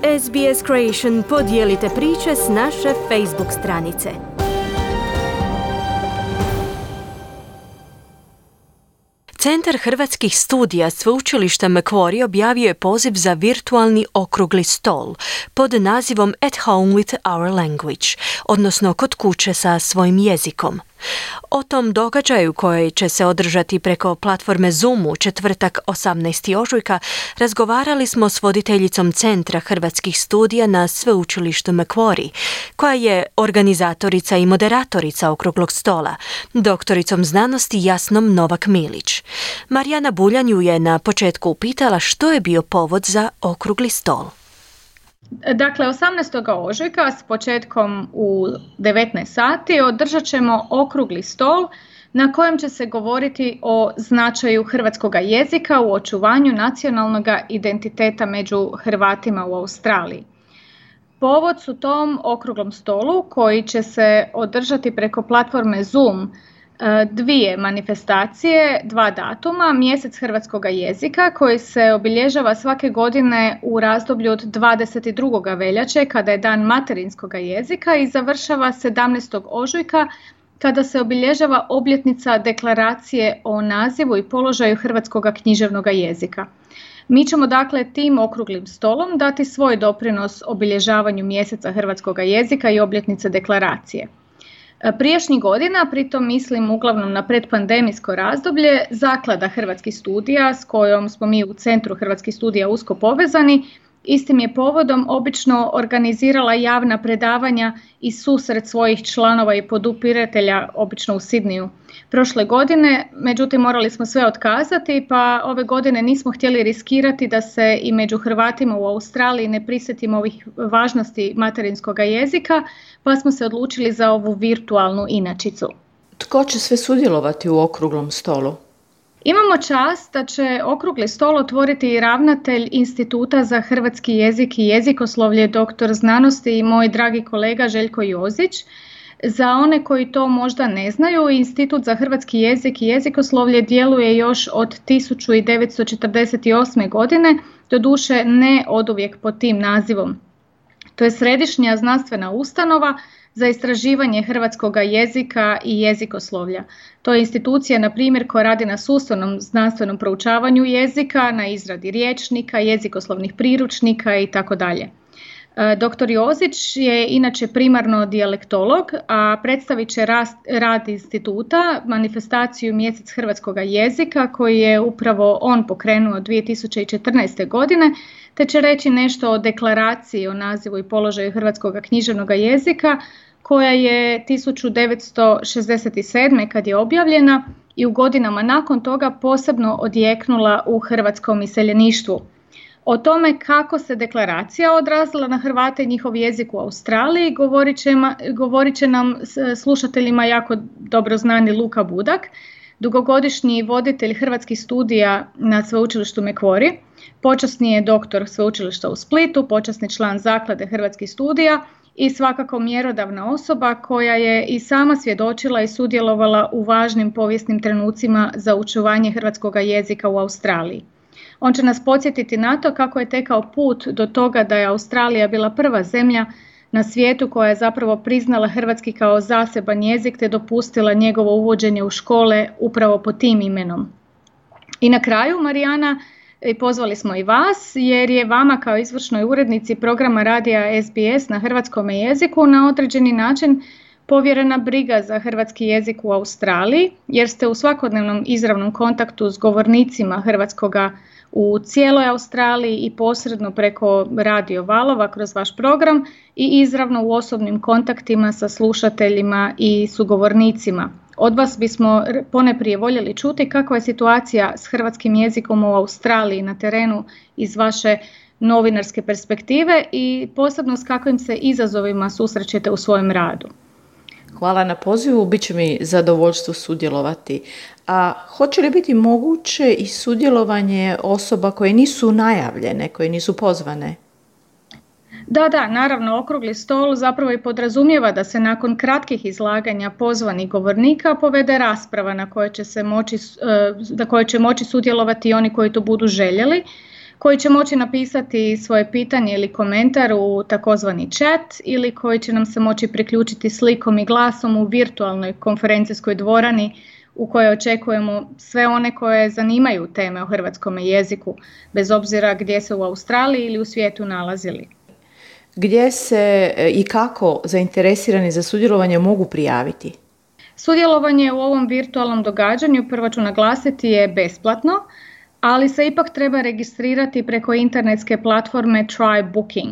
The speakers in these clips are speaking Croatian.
SBS Creation podijelite priče s naše Facebook stranice. Centar hrvatskih studija Sveučilišta Macquarie objavio je poziv za virtualni okrugli stol pod nazivom At Home with Our Language, odnosno kod kuće sa svojim jezikom. O tom događaju koji će se održati preko platforme Zoom u četvrtak 18. ožujka razgovarali smo s voditeljicom Centra hrvatskih studija na Sveučilištu Macquarie, koja je organizatorica i moderatorica okruglog stola, doktoricom znanosti Jasnom Novak-Milić. Marijana Buljan ju je na početku upitala što je bio povod za okrugli stol. Dakle, 18. ožujka s početkom u 19 sati održat ćemo okrugli stol na kojem će se govoriti o značaju hrvatskog jezika u očuvanju nacionalnog identiteta među Hrvatima u Australiji. Povod su tom okruglom stolu koji će se održati preko platforme Zoom, dvije manifestacije, dva datuma, mjesec hrvatskog jezika koji se obilježava svake godine u razdoblju od 22. veljače kada je dan materinskog jezika i završava 17. ožujka kada se obilježava obljetnica deklaracije o nazivu i položaju hrvatskog književnog jezika. Mi ćemo dakle tim okruglim stolom dati svoj doprinos obilježavanju mjeseca hrvatskog jezika i obljetnice deklaracije. Prijašnjih godina, pritom mislim uglavnom na predpandemijsko razdoblje, Zaklada hrvatskih studija s kojom smo mi u Centru hrvatskih studija usko povezani, istim je povodom obično organizirala javna predavanja i susret svojih članova i podupiratelja, obično u Sidniju. Prošle godine, međutim, morali smo sve otkazati, pa ove godine nismo htjeli riskirati da se i među Hrvatima u Australiji ne prisjetimo ovih važnosti materinskog jezika, pa smo se odlučili za ovu virtualnu inačicu. Tko će sve sudjelovati u okruglom stolu? Imamo čast da će okrugli stol otvoriti i ravnatelj Instituta za hrvatski jezik i jezikoslovlje, doktor znanosti i moj dragi kolega Željko Jozić. Za one koji to možda ne znaju, Institut za hrvatski jezik i jezikoslovlje djeluje još od 1948. godine, doduše ne oduvijek pod tim nazivom. To je središnja znanstvena ustanova za istraživanje hrvatskog jezika i jezikoslovlja. To je institucija, na primjer, koja radi na sustavnom znanstvenom proučavanju jezika, na izradi rječnika, jezikoslovnih priručnika itd. Dr. Jozić je inače primarno dijalektolog, a predstavit će rad instituta, manifestaciju Mjesec hrvatskog jezika koji je upravo on pokrenuo 2014. godine, te će reći nešto o deklaraciji o nazivu i položaju hrvatskog književnog jezika koja je 1967. kad je objavljena i u godinama nakon toga posebno odjeknula u hrvatskom iseljeništvu. O tome kako se deklaracija odrazila na Hrvate i njihov jezik u Australiji govorit će nam slušateljima jako dobro znani Luka Budak, dugogodišnji voditelj hrvatskih studija na Sveučilištu Macquarie, počasni je doktor Sveučilišta u Splitu, počasni član Zaklade hrvatskih studija i svakako mjerodavna osoba koja je i sama svjedočila i sudjelovala u važnim povijesnim trenucima za očuvanje hrvatskog jezika u Australiji. On će nas podsjetiti na to kako je tekao put do toga da je Australija bila prva zemlja na svijetu koja je zapravo priznala hrvatski kao zaseban jezik te dopustila njegovo uvođenje u škole upravo pod tim imenom. I na kraju, Marijana, pozvali smo i vas jer je vama kao izvršnoj urednici programa radija SBS na hrvatskom jeziku na određeni način povjerena briga za hrvatski jezik u Australiji, jer ste u svakodnevnom izravnom kontaktu s govornicima hrvatskoga u cijeloj Australiji i posredno preko radio valova kroz vaš program i izravno u osobnim kontaktima sa slušateljima i sugovornicima. Od vas bismo poneprije voljeli čuti kakva je situacija s hrvatskim jezikom u Australiji na terenu iz vaše novinarske perspektive i posebno s kakvim se izazovima susrećete u svojem radu. Hvala na pozivu, bit će mi zadovoljstvo sudjelovati. A hoće li biti moguće i sudjelovanje osoba koje nisu najavljene, koje nisu pozvane? Da, naravno, okrugli stol zapravo i podrazumijeva da se nakon kratkih izlaganja pozvanih govornika povede rasprava na kojoj će moći sudjelovati oni koji to budu željeli. koji će moći napisati svoje pitanje ili komentar u takozvani chat ili koji će nam se moći priključiti slikom i glasom u virtualnoj konferencijskoj dvorani u kojoj očekujemo sve one koje zanimaju teme o hrvatskom jeziku, bez obzira gdje se u Australiji ili u svijetu nalazili. Gdje se i kako zainteresirani za sudjelovanje mogu prijaviti? Sudjelovanje u ovom virtualnom događanju, prvo ću naglasiti, je besplatno, ali se ipak treba registrirati preko internetske platforme Try Booking.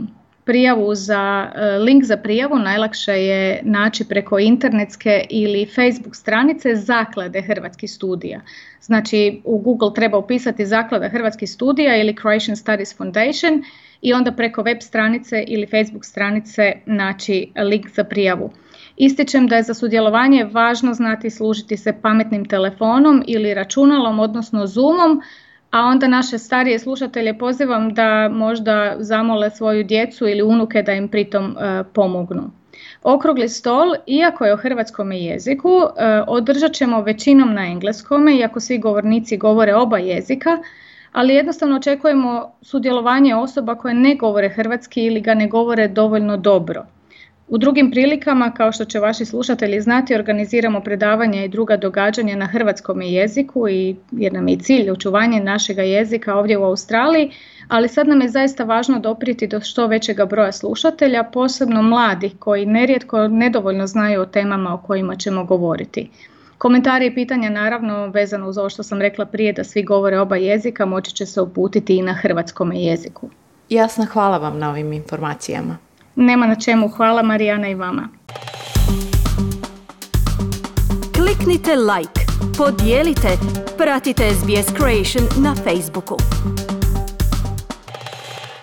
Link za prijavu najlakše je naći preko internetske ili Facebook stranice Zaklade Hrvatskih studija. Znači u Google treba upisati Zaklada Hrvatskih studija ili Croatian Studies Foundation i onda preko web stranice ili Facebook stranice naći link za prijavu. Ističem da je za sudjelovanje važno znati služiti se pametnim telefonom ili računalom, odnosno Zoomom, a onda naše starije slušatelje pozivam da možda zamole svoju djecu ili unuke da im pritom pomognu. Okrugli stol, iako je o hrvatskom jeziku, održat ćemo većinom na engleskome, iako svi govornici govore oba jezika, ali jednostavno očekujemo sudjelovanje osoba koje ne govore hrvatski ili ga ne govore dovoljno dobro. U drugim prilikama, kao što će vaši slušatelji znati, organiziramo predavanja i druga događanja na hrvatskom jeziku jer nam je i cilj očuvanje našega jezika ovdje u Australiji, ali sad nam je zaista važno doprijeti do što većega broja slušatelja, posebno mladih koji nerijetko nedovoljno znaju o temama o kojima ćemo govoriti. Komentari i pitanja, naravno, vezano uz ovo što sam rekla prije da svi govore oba jezika, moći će se uputiti i na hrvatskom jeziku. Jasna, hvala vam na ovim informacijama. Nema na čemu, hvala Marijana i vama. Kliknite like, podijelite, pratite SBS Creation na Facebooku.